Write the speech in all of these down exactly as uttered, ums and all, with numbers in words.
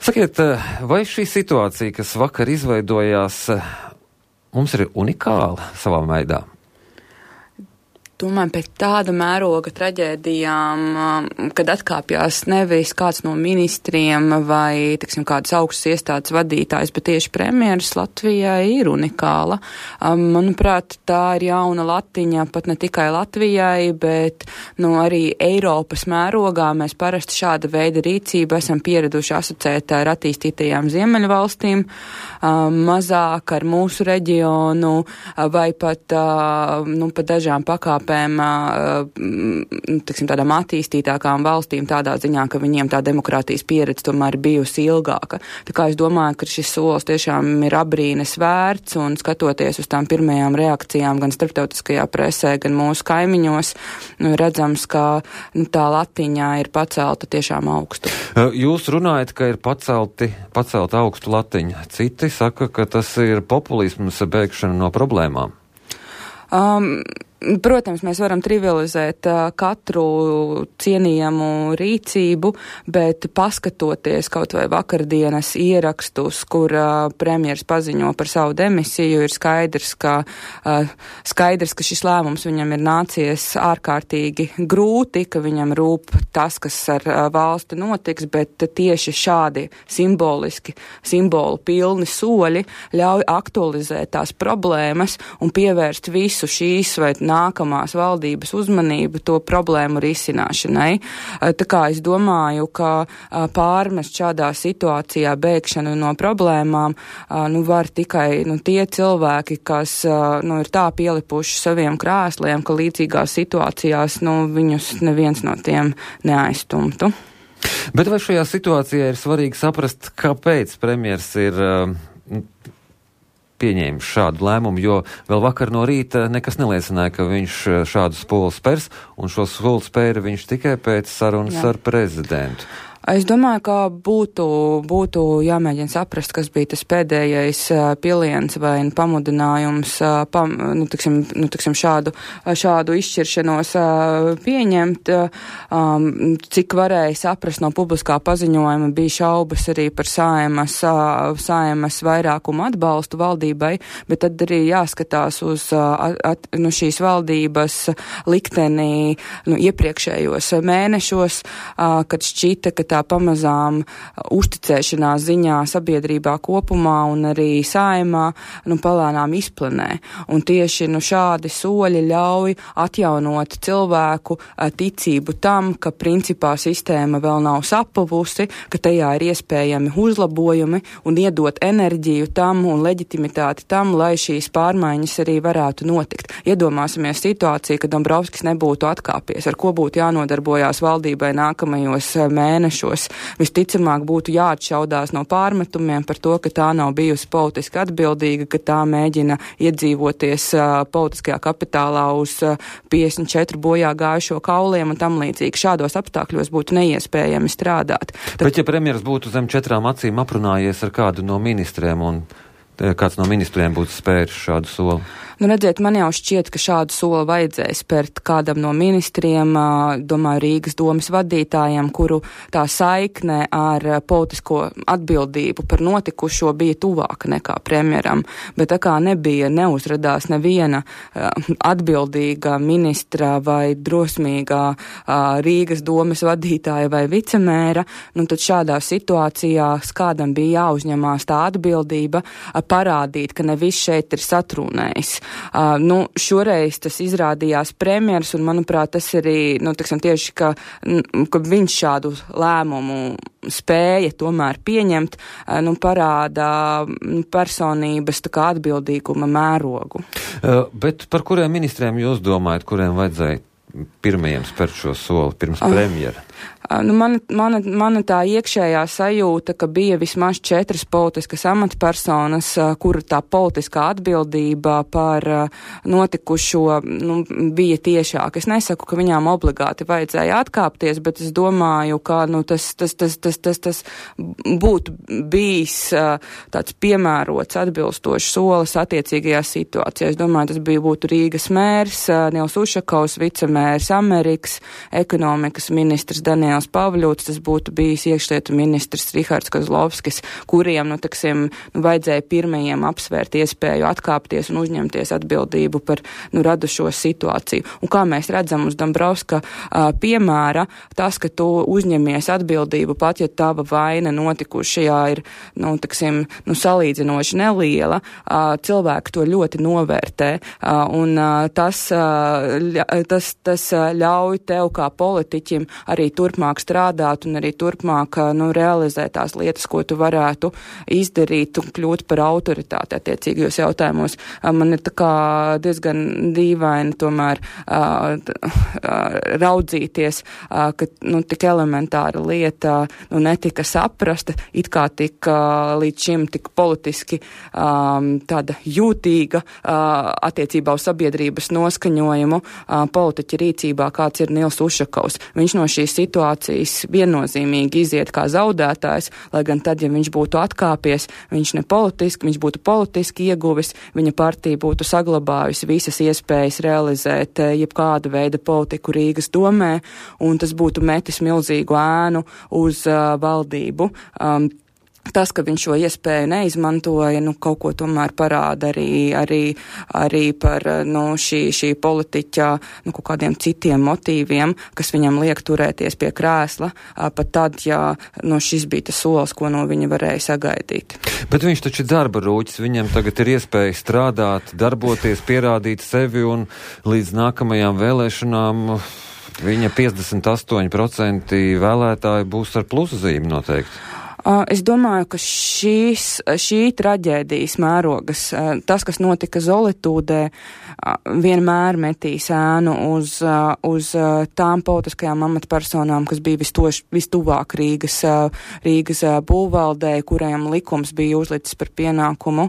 Sakiet, vai šī situācija, kas vakar izveidojās, mums ir unikāla savā veidā? Domāju, pēc tāda mēroga traģēdijām, kad atkāpjās nevis kāds no ministriem vai, tiksim, kādas augstas iestādes vadītājs, bet tieši premjeras Latvijai ir unikāla. Manuprāt, tā ir jauna latiņa pat ne tikai Latvijai, bet nu, arī Eiropas mērogā mēs parasti šāda veida rīcību esam pieraduši asociēt ar attīstītajām Ziemeļvalstīm, mazāk ar mūsu reģionu vai pat, nu, pat dažām pakāpēm tiksim, tādām attīstītākām valstīm tādā ziņā, ka viņiem tā demokrātijas pieredze tomēr ir bijusi ilgāka. Tā kā es domāju, ka šis solis tiešām ir abrīnes vērts un skatoties uz tām pirmajām reakcijām gan starptautiskajā presē, gan mūsu kaimiņos, nu, redzams, ka nu, tā latiņā ir pacelta tiešām augstu. Jūs runājat, ka ir pacelti, pacelta augstu latiņa. Citi saka, ka tas ir populisms bēgšana no problēmām. Um, Protams, mēs varam trivializēt uh, katru cienījamu rīcību, bet paskatoties kaut vai vakardienas ierakstus, kur uh, premjers paziņo par savu demisiju, ir skaidrs, ka, uh, skaidrs, ka šis lēmums viņam ir nācies ārkārtīgi grūti, ka viņam rūp tas, kas ar uh, valsti notiks, bet tieši šādi simboliski, simbolu pilni soļi ļauj aktualizēt tās problēmas un pievērst visu šīs vai nākamās valdības uzmanību to problēmu risināšanai. Tā kā es domāju, ka pārmest šādā situācijā bēgšanu no problēmām nu, var tikai nu, tie cilvēki, kas nu, ir tā pielipuši saviem krēsliem, ka līdzīgās situācijās nu, viņus neviens no tiem neaizstumtu. Bet vai šajā situācijā ir svarīgi saprast, kāpēc premjers ir pieņēmis šādu lēmumu, jo vēl vakar no rīta nekas neliecināja, ka viņš šādu soli spērs, un šo soli spēra viņš tikai pēc sarunas Jā. Ar prezidentu. Es domāju, ka būtu, būtu jāmēģina saprast, kas bija tas pēdējais piliens vai pamudinājums pam, nu, tiksim, nu, tiksim šādu, šādu izšķiršanos pieņemt. Cik varēja saprast no publiskā paziņojuma, bija šaubas arī par Saeimas, Saeimas vairākumu atbalstu valdībai, bet tad arī jāskatās uz at, nu, šīs valdības liktenī nu, iepriekšējos mēnešos, kad šķita, ka tā pamazām uzticēšanās ziņā sabiedrībā kopumā un arī Saeimā nu, palēnām izplanē. Un tieši nu, šādi soļi ļauj atjaunot cilvēku ticību tam, ka principā sistēma vēl nav sapavusi, ka tajā ir iespējami uzlabojumi un iedot enerģiju tam un leģitimitāti tam, lai šīs pārmaiņas arī varētu notikt. Iedomāsimies situāciju, ka Dombrovskis nebūtu atkāpies, ar ko būtu jānodarbojās valdībai nākamajos mēnešos. Visticamāk būtu jāatšaudās no pārmetumiem par to, ka tā nav bijusi politiski atbildīga, ka tā mēģina iedzīvoties uh, politiskajā kapitālā uz uh, piecdesmit četru bojā gājušo kauliem un tam līdzīgi. Šādos apstākļos būtu neiespējami strādāt. Tad... Bet ja premjeras būtu zem četrām acīm aprunājies ar kādu no ministriem un kāds no ministriem būtu spēris šādu soli? Nu, redziet, man jau šķiet, ka šādu soli vajadzēja spērt kādam no ministriem, domāju, Rīgas domas vadītājiem, kuru tā saikne ar politisko atbildību par notikušo bija tuvāka nekā premjeram. Bet tā kā nebija, neuzradās neviena atbildīga ministra vai drosmīgā Rīgas domas vadītāja vai vicemēra, nu tad šādā situācijā kādam bija jāuzņemās tā atbildība parādīt, ka ne viss šeit ir satrūnējis. Uh, nu, šoreiz tas izrādījās premjers, un, manuprāt, tas arī, nu, tiksim, tieši, ka, ka viņš šādu lēmumu spēja tomēr pieņemt, uh, nu, parāda personības tā kā atbildīguma mērogu. Uh, bet par kuriem ministriem jūs domājat, kuriem vajadzēja pirmajiem spērt šo soli pirms premjera? Uh, nu, mana, mana, mana tā iekšējā sajūta, ka bija vismaz četras politiskas amatpersonas, uh, kura tā politiskā atbildība par uh, notikušo nu, bija tiešāk. Es nesaku, ka viņām obligāti vajadzēja atkāpties, bet es domāju, ka nu, tas, tas, tas, tas, tas, tas būtu bijis uh, tāds piemērots atbilstošs solis attiecīgajā situācijā. Es domāju, tas bija būtu Rīgas mērs, uh, Nils Ušakovs, vicemērs Amerikas, ekonomikas ministrs Daniels Daniels Pavļūts, tas būtu bijis iekšlietu ministrs Rihards Kozlovskis, kuriem, nu, taksim, nu, vajadzēja pirmajiem apsvērt iespēju atkāpties un uzņemties atbildību par, nu, radušo situāciju. Un kā mēs redzam uz Dombrovska uh, piemēra, tas, ka tu uzņemies atbildību, pat ja tava vaina notikušajā ir, nu, taksim, nu, salīdzinoši neliela, uh, cilvēki to ļoti novērtē, uh, un uh, tas, uh, ļa, tas, tas uh, ļauj tev kā politiķim arī turpmāk strādāt un arī turpmāk, uh, nu, realizēt tās lietas, ko tu varētu izdarīt un kļūt par autoritāti attiecīgajos jautājumos. Uh, man ir tā kā diezgan dīvaini tomēr uh, uh, raudzīties, uh, ka, nu, tik elementāra lieta, nu, netika saprasta, it kā tik uh, līdz šim tik politiski um, tāda jūtīga uh, attiecībā uz sabiedrības noskaņojumu uh, politiķa rīcībā, kāds ir Nils Ušakovs. Viņš no šīs situācijas viennozīmīgi iziet kā zaudētājs, lai gan tad, ja viņš būtu atkāpies, viņš ne politiski, viņš būtu politiski ieguvis, viņa partija būtu saglabājusi visas iespējas realizēt uh, jebkāda veida politiku Rīgas domē, un tas būtu metis milzīgu ēnu uz uh, valdību. Um, Tas, ka viņš šo iespēju neizmantoja, nu, kaut ko tomēr parāda arī, arī, arī par, nu, šī, šī politiķa, nu, kaut kādiem citiem motīviem, kas viņam liek turēties pie krēsla, pat tad, ja, nu, šis bija tas solis, ko no viņa varēja sagaidīt. Bet viņš taču ir darba rūķis, viņam tagad ir iespēja strādāt, darboties, pierādīt sevi, un līdz nākamajām vēlēšanām viņa piecdesmit astoņi procenti vēlētāji būs ar plusazīmi noteikti. Es domāju, ka šīs, šī traģēdijas mērogas, tas, kas notika Zolitūdē, vienmēr metīs ēnu uz, uz tām politiskajām amatpersonām, kas bija vistoš, vistuvāk Rīgas, Rīgas būvvaldē, kurajam likums bija uzlicis par pienākumu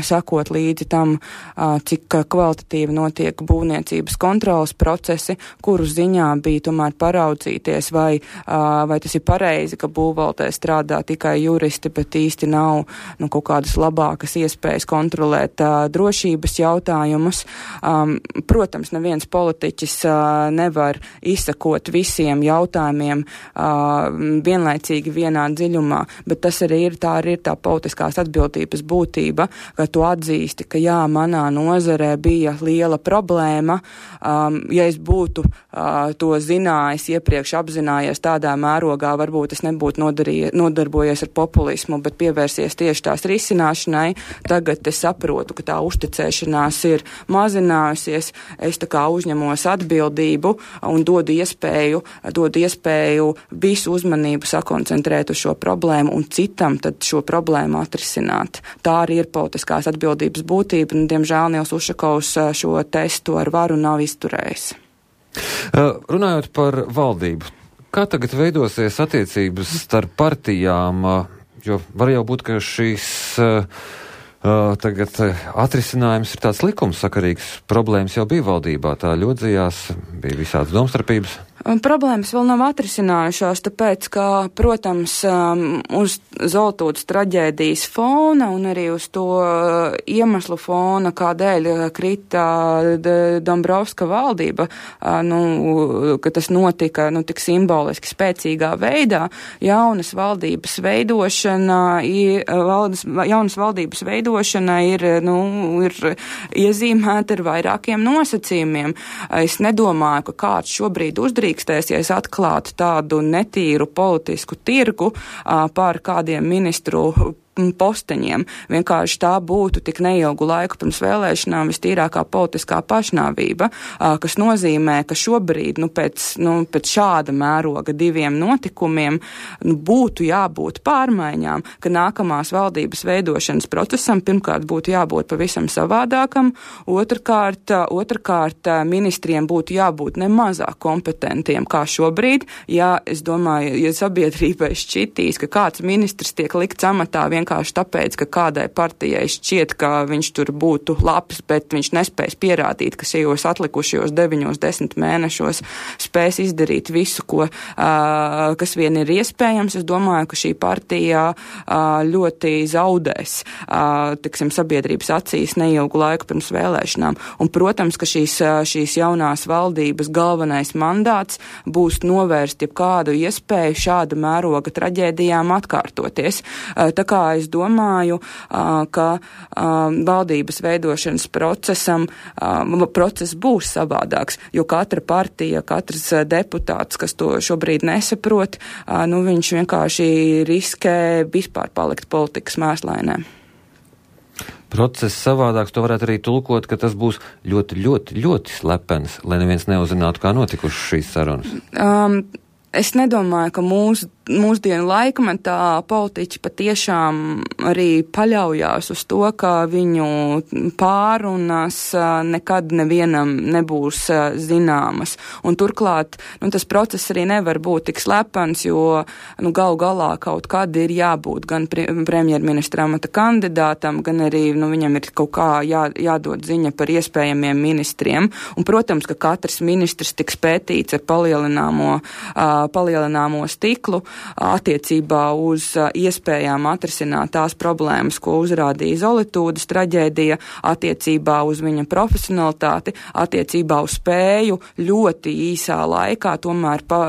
sakot līdzi tam, cik kvalitatīvi notiek būvniecības kontrolas procesi, kuru ziņā bija tomēr paraudzīties, vai, vai tas ir pareizi, ka būvvaldē strādā tikai juristi, bet īsti nav, nu, kaut kādas labākas iespējas kontrolēt uh, drošības jautājumus. Um, protams, neviens politiķis uh, nevar izsakot visiem jautājumiem uh, vienlaicīgi vienā dziļumā, bet tas arī ir tā, arī ir tā politiskās atbildības būtība, ka tu atzīsti, ka jā, manā nozarē bija liela problēma. Um, ja es būtu uh, to zinājis, iepriekš apzinājies tādā mērogā, varbūt es nebūtu nodarījies, nodarbojies ar populismu, bet pievērsies tieši tās risināšanai. Tagad es saprotu, ka tā uzticēšanās ir mazinājusies. Es tā kā uzņemos atbildību un dodu iespēju, dodu iespēju visu uzmanību sakoncentrēt uz šo problēmu un citam tad šo problēmu atrisināt. Tā arī ir politiskās atbildības būtība, un, diemžēl, Nils Ušakovs šo testu ar varu nav izturējis. Uh, runājot par valdību, kā tagad veidosies attiecības starp partijām, jo var jau būt, ka šīs uh, uh, tagad atrisinājums ir tāds likumsakarīgs, problēmas jau bija valdībā, tā ļodzījās, bija visādas domstarpības. Problēmas vēl nav atrisinājušās, tāpēc, ka, protams, um, uz Zolitūdes traģēdijas fona un arī uz to uh, iemeslu fona, kādēļ krita Dombrovska valdība, uh, nu, ka tas notika, nu, tik simboliski spēcīgā veidā, jaunas valdības veidošana, ir, valdes, jaunas valdības veidošana ir, nu, ir iezīmēta ar vairākiem nosacījumiem. Es nedomāju, ka kāds šobrīd uzdrīkstēsies, ja es atklātu tādu netīru politisku tirgu uh, pār kādiem ministru posteņiem. Vienkārši tā būtu tik neilgu laiku pirms vēlēšanām vistīrākā politiskā pašnāvība, kas nozīmē, ka šobrīd, nu, pēc, nu, pēc šāda mēroga diviem notikumiem, nu, būtu jābūt pārmaiņām, ka nākamās valdības veidošanas procesam pirmkārt būtu jābūt pavisam savādākam, otrkārt, otrkārt ministriem būtu jābūt nemazāk kompetentiem kā šobrīd. Ja, es domāju, ja sabiedrībai šķitīs, ka kāds ministrs tiek likts amatā vienkārši vienkārši tāpēc, ka kādai partijai šķiet, ka viņš tur būtu labs, bet viņš nespēs pierādīt, ka šajos atlikušajos deviņos, desmit mēnešos spēs izdarīt visu, ko, kas vien ir iespējams. Es domāju, ka šī partija ļoti zaudēs, tiksim, sabiedrības acīs neilgu laiku pirms vēlēšanām. Un, protams, ka šīs, šīs jaunās valdības galvenais mandāts būs novērst jebkādu iespēju šāda mēroga traģēdijām atkārtoties. Tā kā es domāju, ka valdības veidošanas procesam, process būs savādāks, jo katra partija, katrs deputāts, kas to šobrīd nesaprot, nu viņš vienkārši riskē vispār palikt politikas mēslainē. Process savādāks, to varētu arī tulkot, ka tas būs ļoti, ļoti, ļoti slepens, lai neviens neuzzinātu, kā notikušas šīs sarunas. Um, es nedomāju, ka mūsu mūsdienu laikmetā politiķi patiešām arī paļaujās uz to, ka viņu pārunas nekad nevienam nebūs zināmas. Un turklāt, nu, tas process arī nevar būt tik slepens, jo, nu, galu galā kaut kad ir jābūt gan premjerministra amata kandidātam, gan arī, nu, viņam ir kaut kā jā, jādod ziņa par iespējamiem ministriem. Un, protams, ka katrs ministrs tiks pētīts ar palielināmo, uh, palielināmo stiklu, attiecībā uz iespējām atrisināt tās problēmas, ko uzrādīja Zolitūdas traģēdija, attiecībā uz viņa profesionalitāti, attiecībā uz spēju ļoti īsā laikā tomēr pa,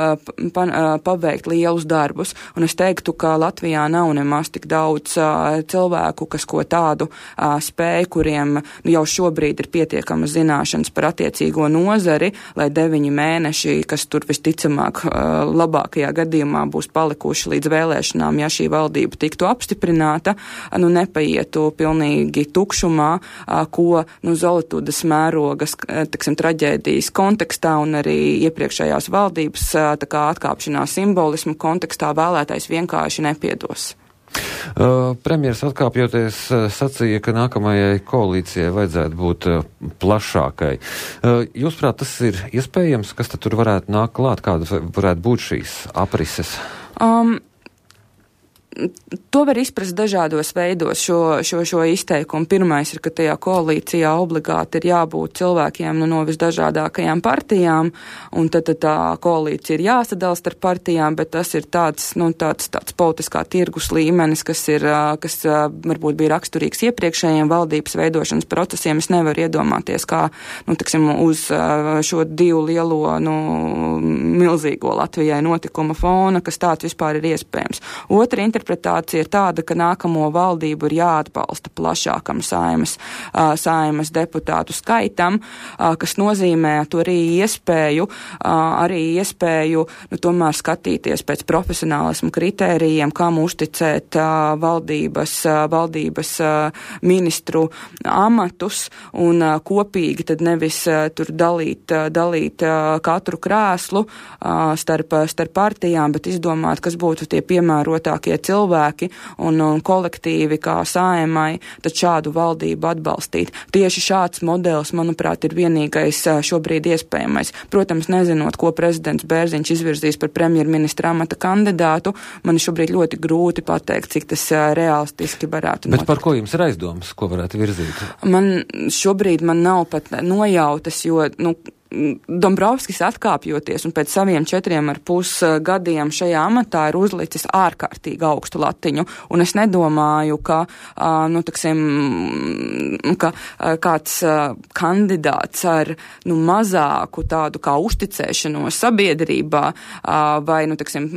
pa, paveikt lielus darbus. Un es teiktu, ka Latvijā nav nemaz tik daudz uh, cilvēku, kas ko tādu uh, spēju, kuriem nu, jau šobrīd ir pietiekama zināšanas par attiecīgo nozari, lai deviņi mēneši, kas tur visticamāk uh, labākajā gadījumā būs palikuši līdz vēlēšanām, ja šī valdība tiktu apstiprināta, nu nepaietu pilnīgi tukšumā, ko, nu, Zolitūdas mērogas, tiksim, traģēdijas kontekstā un arī iepriekšējās valdības tā kā atkāpšanās simbolismu kontekstā vēlētais vienkārši nepiedos. Uh, premjeras atkāpjoties uh, sacīja, ka nākamajai koalīcijai vajadzētu būt uh, plašākai. Uh, Jūsprāt, tas ir iespējams? Kas tad tur varētu nākt klāt? Kādas varētu būt šīs aprises? Um, To var izprast dažādos veidos šo, šo, šo izteikumu. Pirmais ir, ka tajā koalīcijā obligāti ir jābūt cilvēkiem nu, no visdažādākajām partijām, un tad, tad tā koalīcija ir jāsadala starp partijām, bet tas ir tāds, nu, tāds, tāds politiskā tirgus līmenis, kas ir, kas varbūt bija raksturīgs iepriekšējiem valdības veidošanas procesiem. Es nevaru iedomāties, kā, nu, tiksim, uz šo divu lielo, nu, milzīgo Latvijai notikuma fona, kas tāds vispār ir iespējams. Otra interpretācija ir tāda, ka nākamo valdību ir jāatbalsta plašākam saimas, saimas deputātu skaitam, kas nozīmē to arī iespēju, arī iespēju, nu, tomēr skatīties pēc profesionālismu kritērijiem, kam uzticēt valdības, valdības ministru amatus un kopīgi tad nevis tur dalīt, dalīt katru krēslu starp, starp partijām, bet izdomāt, kas būtu tie piemērotākie cilvēki, cilvēki un, un kolektīvi kā Saeimai, tad šādu valdību atbalstīt. Tieši šāds modelis, manuprāt, ir vienīgais šobrīd iespējamais. Protams, nezinot, ko prezidents Bērziņš izvirzīs par premjerministra amata kandidātu, man šobrīd ļoti grūti pateikt, cik tas realistiski varētu notikt. Bet par ko jums ir aizdomas, ko varētu virzīt? Man šobrīd man nav pat nojautas, jo, nu, Dombrovskis atkāpjoties un pēc saviem četriem ar pus gadiem šajā amatā ir uzlicis ārkārtīgi augstu latiņu, un es nedomāju, ka, nu, taksim, ka kāds kandidāts ar, nu, mazāku tādu kā uzticēšanos sabiedrībā vai, nu, taksim,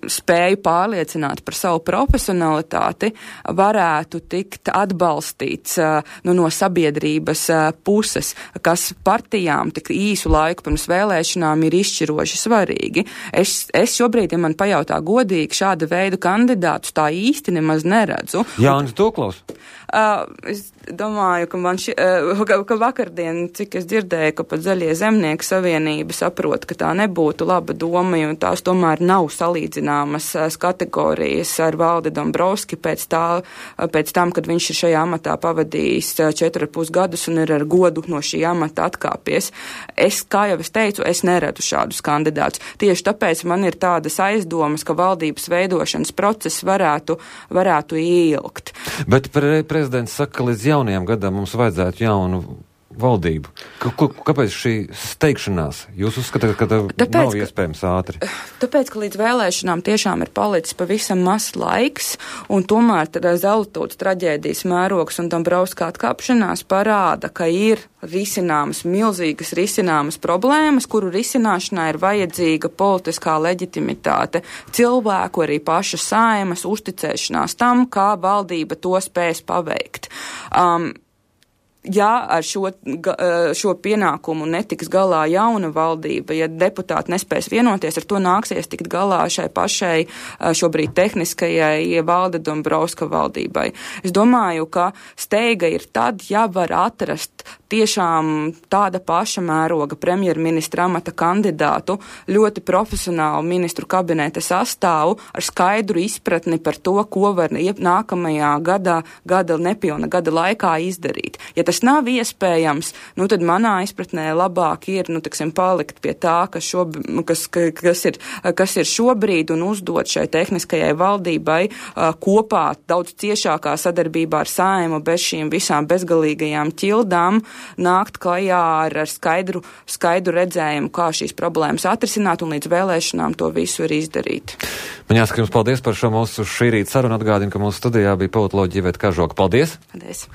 spēju pārliecināt par savu profesionalitāti varētu tikt atbalstīts, nu, no sabiedrības puses, kas partijām tik īsu laiku pirms vēlēšanām ir izšķiroši svarīgi. Es, es šobrīd, ja man pajautā godīgi, šāda veida kandidātus tā īsti nemaz neredzu. Jānis Tūklaus? Uh, es domāju, ka, man ši, uh, ka, ka vakardien, cik es dzirdēju, ka pat Zaļie zemnieku savienība saprot, ka tā nebūtu laba doma, jo tās tomēr nav salīdzināmas uh, kategorijas ar Valdi Dombrovski pēc, tā, uh, pēc tam, kad viņš ir šajā amatā pavadījis uh, četri ar pus gadus un ir ar godu no šī amata atkāpies. Es, kā jau es teicu, es neredzu šādus kandidātus. Tieši tāpēc man ir tādas aizdomas, ka valdības veidošanas process varētu, varētu ilgt. Bet pre- prezidents saka, ka līdz jaunajam gadam mums vajadzētu jaunu valdību. K- k- kāpēc šī steigšanās? Jūs uzskatāt, ka tā tāpēc, nav iespējams ātri? Tāpēc, ka līdz vēlēšanām tiešām ir palicis pavisam mazs laiks, un tomēr Zeltūtas traģēdijas mērogs un Dombrovska atkāpšanās parāda, ka ir risināmas, milzīgas risināmas problēmas, kuru risināšanā ir vajadzīga politiskā leģitimitāte, cilvēku, arī paša Saeimas uzticēšanās tam, kā valdība to spēs paveikt. Um, Ja ar šo, šo pienākumu netiks galā jauna valdība, ja deputāti nespēs vienoties, ar to nāksies tikt galā šai pašai šobrīd tehniskajai Valda Dombrovska valdībai. Es domāju, ka steiga ir tad, ja var atrast tiešām tāda paša mēroga premjerministra amata kandidātu, ļoti profesionālu ministru kabineta sastāvu ar skaidru izpratni par to, ko var nākamajā gadā, gada nepilna gada laikā izdarīt. Ja tas nav iespējams, nu tad manā izpratnē labāk ir, nu, teksim, palikt pie tā, kas, šob, kas, kas, ir, kas ir šobrīd un uzdot šai tehniskajai valdībai uh, kopā daudz ciešākā sadarbībā ar Saeimu bez šīm visām bezgalīgajām ķildām nākt klajā ar, ar skaidru, skaidru redzējumu, kā šīs problēmas atrisināt un līdz vēlēšanām to visu ir izdarīt. Man jāsaka jums paldies par šo mūsu šī rīta sarunu. Atgādinu, ka mūsu studijā bija politoloģija Iveta Kažoka. Paldies! Paldies!